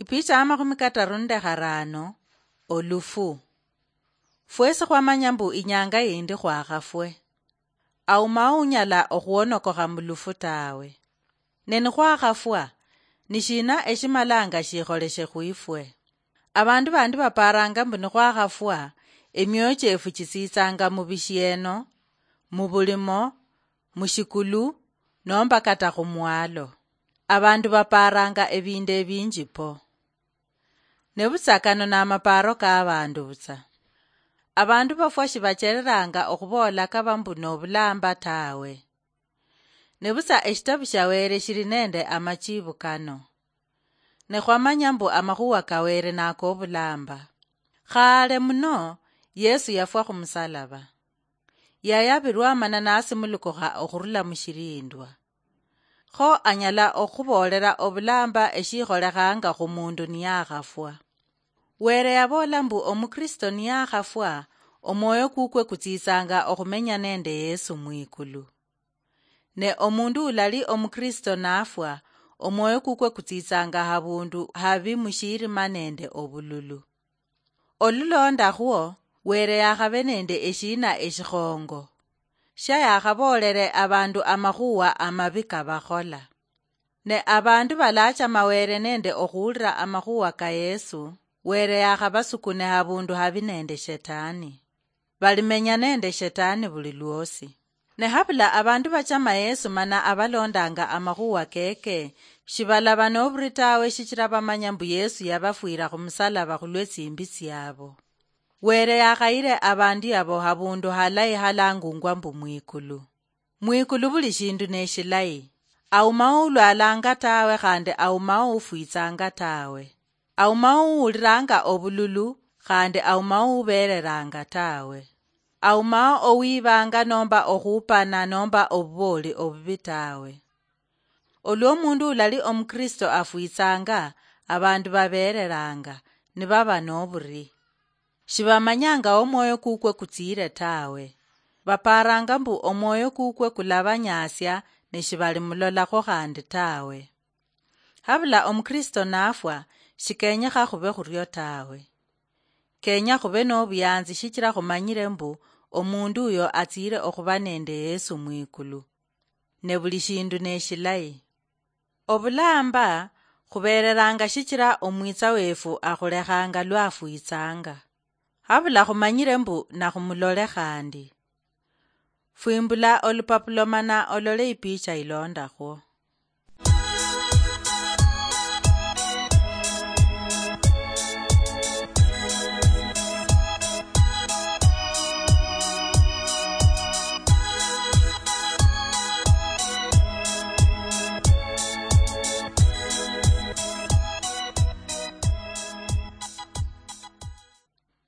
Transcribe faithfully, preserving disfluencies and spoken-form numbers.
Ipicha ya makhumi kataru nende kharano. Olufu. Fwesi khwamanya mbu inyanga yindi khwakhafwe. Aumao unyala okhwonokokha mu lufu tawe. Ne nikhwakhafwa, nishina eshimalanga shikholeshe khwifwe? Abandu bandi baparanga mbu nikhwakhafwa, emioyo chiefu chitsitsanga mu bishieno, mu bulimo, mu shikulu, nomba kata khu mwalo. Abandu baparanga ebindu ebinji po. Ne butsa kano namaparo ka abandu butsa. Abandu bafwa shibachereranga okhubola kaba mbu nobulamba tawe. Ne butsa eshitabu sha Were shili nende amachibu kano. Ne khwamanya mbu amakhuwa ka Were nakobulamba. Khale muno, Yesu yafwa khumusalaba. Yayabirwa mana nasimulukukha okhurula mushilindwa. Kho anyala okhuboolera obulamba eshikholekhanga khu mundu niyakhafwa. Were yaboola mbu Omukristo niyakhafwa, omwoyo kukwe kutsitsanga okhumenya nende Yesu mwikulu. Ne omundu ulali Omukristo nafwa, omwoyo kukwe kutsitsanga habundu habi mushirima nende obululu. Olulondakhwo, Were yakhabe nende eshina eshikhongo, shia yakhaboolere abandu amakhuwa amabi kabakhola. Ne abandu balachama Were nende okhuwulira amakhuwa ka Yesu, Were yakhabasukune habundu habi nende Shetani. Balimenya nende Shetani buli lwosi. Ne habula abandu bachama Yesu mana abalondanga amakhuwa keke, shibalaba noburi tawe shichira bamanya mbu Yesu yabafwira khumusalaba khulwe tsimbi tsiabo. Were yakhayire abandu yabo habundu halayi halangungwa mbu mwikulu. Mwikulu buli shindu neshilayi. Aumao ulwalanga tawe khandi aumao ufwitsanga tawe. Aumao uwuliranga obululu khandi aumao ubereranga tawe. Aumao owibanga nomba okhupana nomba obubooli obubi tawe. Olwo omundu ulali Omukristo afwitsanga, abandu babereranga, nibaba noburi. Shibamanyanga omwoyo kukwe kutsiire tawe. Baparanga mbu omwoyo kukwe kulabanyasia ne shibalimulolakho khandi tawe. Habula Omukristo nafwa, shikenyekha khube khurio tawe. Kenya khube nobuyanzi shichira khumanyire mbu omundu uyo atsiire okhuba nende Yesu mwikulu. Ne buli shindu neshilayi. Obulamba khubereranga shichira omwitsa wefu akhulekhanga lwafwitsanga. Habula khumanyire mbu nakhumulole khandi. Fwimbula olupapulo mana olole ipicha ilondakhwo.